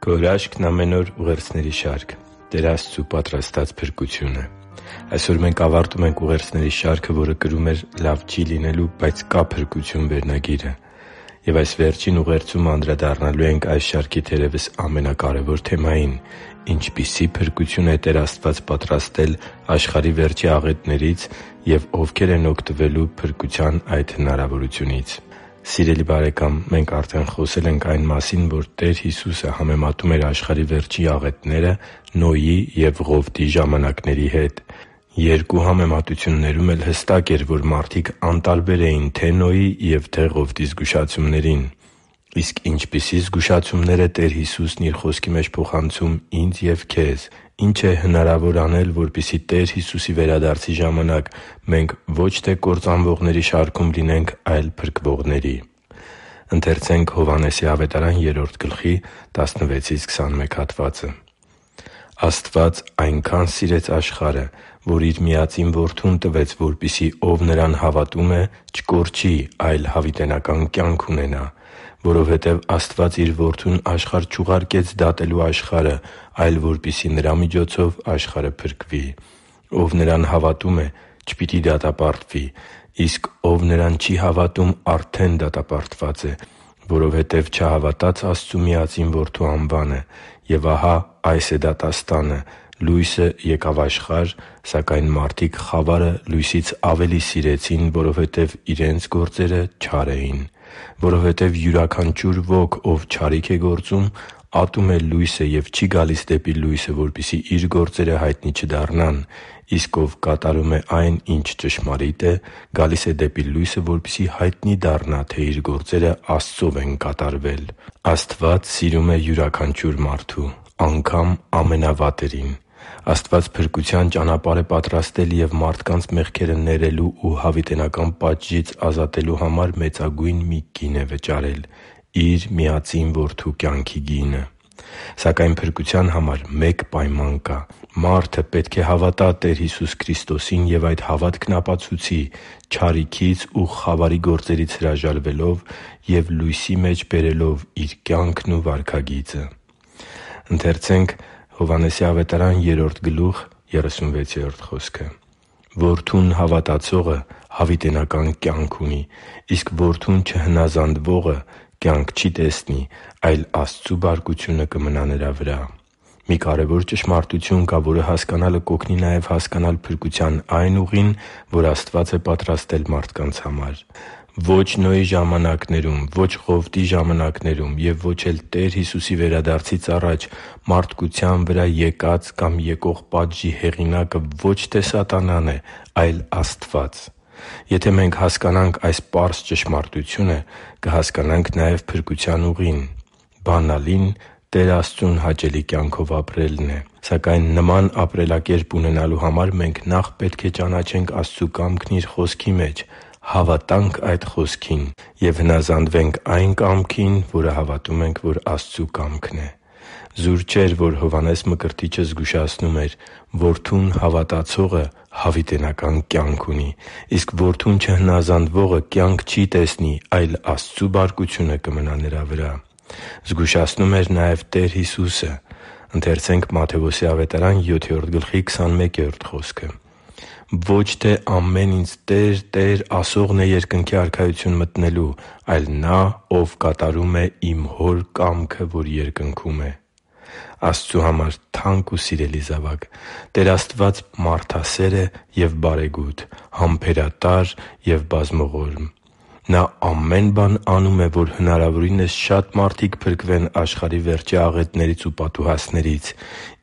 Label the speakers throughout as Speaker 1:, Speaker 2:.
Speaker 1: Քո հրաշքն ամեն օր ուղերձների շարք Տեր Աստծու պատրաստած փրկությունը։ Այսօր մենք ավարտում ենք ուղերձների շարքը, որը կրում էր «Լավ չի լինելու, բայց կա փրկություն» վերնագիրը։ Եվ այս վերջին ուղերձում անդրադառնալու ենք այս շարքի թերևս ամենակարևոր թեմային՝ ինչպիսի փրկություն է Տեր Աստված պատրաստել աշխարհի վերջի աղետներից և ովքեր են օգտվելու փրկության այդ հնարավորությունից։ Սիրելի՛ բարեկամ, մենք արդեն խոսել ենք այն մասին, որ Տեր Հիսուսը համեմատում էր աշխարհի վերջի աղետները Նոյի և Ղովտի ժամանակների հետ։ Երկու համեմատություններում էլ հստակ էր, որ մարդիկ անտարբեր էին թե՛ Նոյի և թե՛ Ղովտի զգուշացումներին։ Իսկ ինչպիսի՞ զգուշացումներ է Տեր Հիսուսն Իր Խոսքի մեջ փոխանցում ինձ և քեզ։ Ի՞նչ է հնարավոր անել, որպեսզի Տեր Հիսուսի վերադարձի ժամանակ մենք ոչ թե կործանվողների շարքում լինենք, այլ փրկվողների։ «Աստված այնքան սիրեց աշխարհը, որ Իր միածին Որդուն տվեց, որպեսզի ով Նրան հավատում է, չկորչի, այլ հավիտենական կյանք ունենա։ Որովհետև Աստված Իր Որդուն աշխարհ չուղարկեց դատելու աշխարհը, այլ որպեսզի Նրա միջոցով աշխարհը փրկվի։ Ով Նրան հավատում է, չպիտի դատապարտվի, իսկ ով Նրան չի հավատում, արդեն դատապարտված է, որովհետև չհավատաց Աստծու միածին Որդու անվանը։ Եվ ահա այս է դատաստանը. լույսը եկավ աշխարհ, սակայն մարդիկ խավարը լույսից ավելի սիրեցին, որովհետև իրենց գործերը չար էին։ Որովհետև յուրաքանչյուր ոք, ով չարիք է գործում, ատում է լույսը և չի գալիս դեպի լույսը, որպեսզի իր գործերը հայտնի չդառնան։ Իսկ ով կատարում է այն, ինչ ճշմարիտ է, գալիս է դեպի լույսը, որպեսզի հայտնի դառնա, թե իր գործերը Աստծով են կատարվել։ Աստված սիրում է յուրաքանչյուր մարդու, անգամ ամենավատերին։ Աստված փրկության ճանապարհ է պատրաստել և մարդկանց մեղքերը ներելու ու հավիտենական պատժից ազատելու համար մեծագույն մի գին է վճարել՝ Իր միածին Որդու կյանքի գինը։ Սակայն փրկության համար մեկ պայման կա։ Մարդը պետք է հավատա Տեր Հիսուս Քրիստոսին և այդ հավատքն ապացուցի չարիքից ու խավարի գործերից հրաժարվելով և լույսի մեջ բերելով իր կյանքն ու վարքագիծը։ «Որդուն հավատացողը հավիտենական կյանք ունի, իսկ որդուն չհնազանդվողը կյանք չի տեսնի, այլ Աստծու բարկությունը կմնա նրա վրա» (Հովհաննես 3․38)։ Մի կարևոր ճշմարտություն կա, որը հասկանալը կօգնի նաև հասկանալ փրկության այն ուղին, որ Աստված է պատրաստել մարդկանց համար։ Ո՛չ Նոյի ժամանակներում, ո՛չ Ղովտի ժամանակներում և ո՛չ էլ Տեր Հիսուսի վերադարձից առաջ մարդկության վրա եկած կամ եկող պատժի հեղինակը ոչ թե սատանան է, այլ Աստված։ Եթե մենք հասկանանք այս պարզ ճշմարտությունը, կհասկանանք նաև փրկության ուղին։ Բանալին Տեր Աստծուն հաճելի կյանքով ապրելն է։ Սակայն նման ապրելակերպ ունենալու համար մենք նախ պետք է ճանաչենք Աստծու կամքն Իր Խոսքի մեջ, հավատանք այդ Խոսքին և հնազանդվենք այն կամքին, որը հավատում ենք, որ Աստծու կամքն է։ Զուր չէր, որ Հովհաննես Մկրտիչը զգուշացնում էր. «Որդուն հավատացողը հավիտենական կյանք ունի, իսկ որդուն չհնազանդվողը կյանք չի տեսնի, այլ Աստծու բարկությունը կմնա նրա վրա»։ Զգուշացնում էր նաև Տեր Հիսուսը. «Ոչ թե ամեն ինձ "Տե՛ր, Տե՛ր" ասողն է Երկնքի Արքայություն մտնելու, այլ նա, ով կատարում է Իմ Հոր կամքը, որ երկնքում է» (Մատթեոս 7․21)։ Աստծու համար թանկ ու սիրելի՛ զավակ, Տեր Աստված մարդասեր է և բարեգութ, համբերատար և բազմողորմ։ Նա ամեն բան անում է, որ հնարավորինս շատ մարդիկ փրկվեն աշխարհի վերջի աղետներից ու պատուհասներից։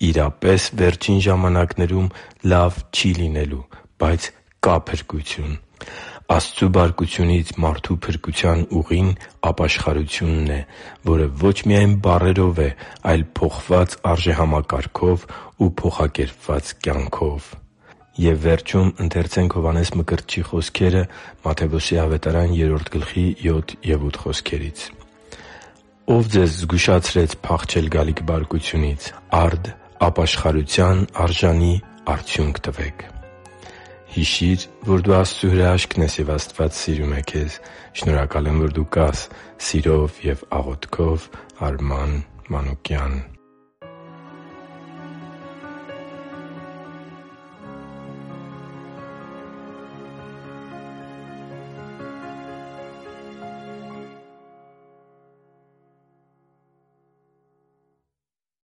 Speaker 1: Իրապես, վերջին ժամանակներում լավ չի լինելու, բայց կա փրկություն։ Աստծու բարկությունից մարդու փրկության ուղին ապաշխարությունն է, որը ոչ միայն բառերով է, այլ փոխված արժեհամակարգով ու փոխակերպված կյանքով։ «Ո՞վ ձեզ զգուշացրեց փախչել գալիք բարկությունից։ Արդ ապաշխարության արժանի արդյունք տվեք» (Հովհաննես 3․7)։ Հիշի՛ր, որ դու Աստծո հրաշքն ես, և Աստված սիրում է քեզ։ Շնորհակալ եմ, որ դու կա՛ս։ Սիրով և աղոթքով, Արման։ Մանուկյան։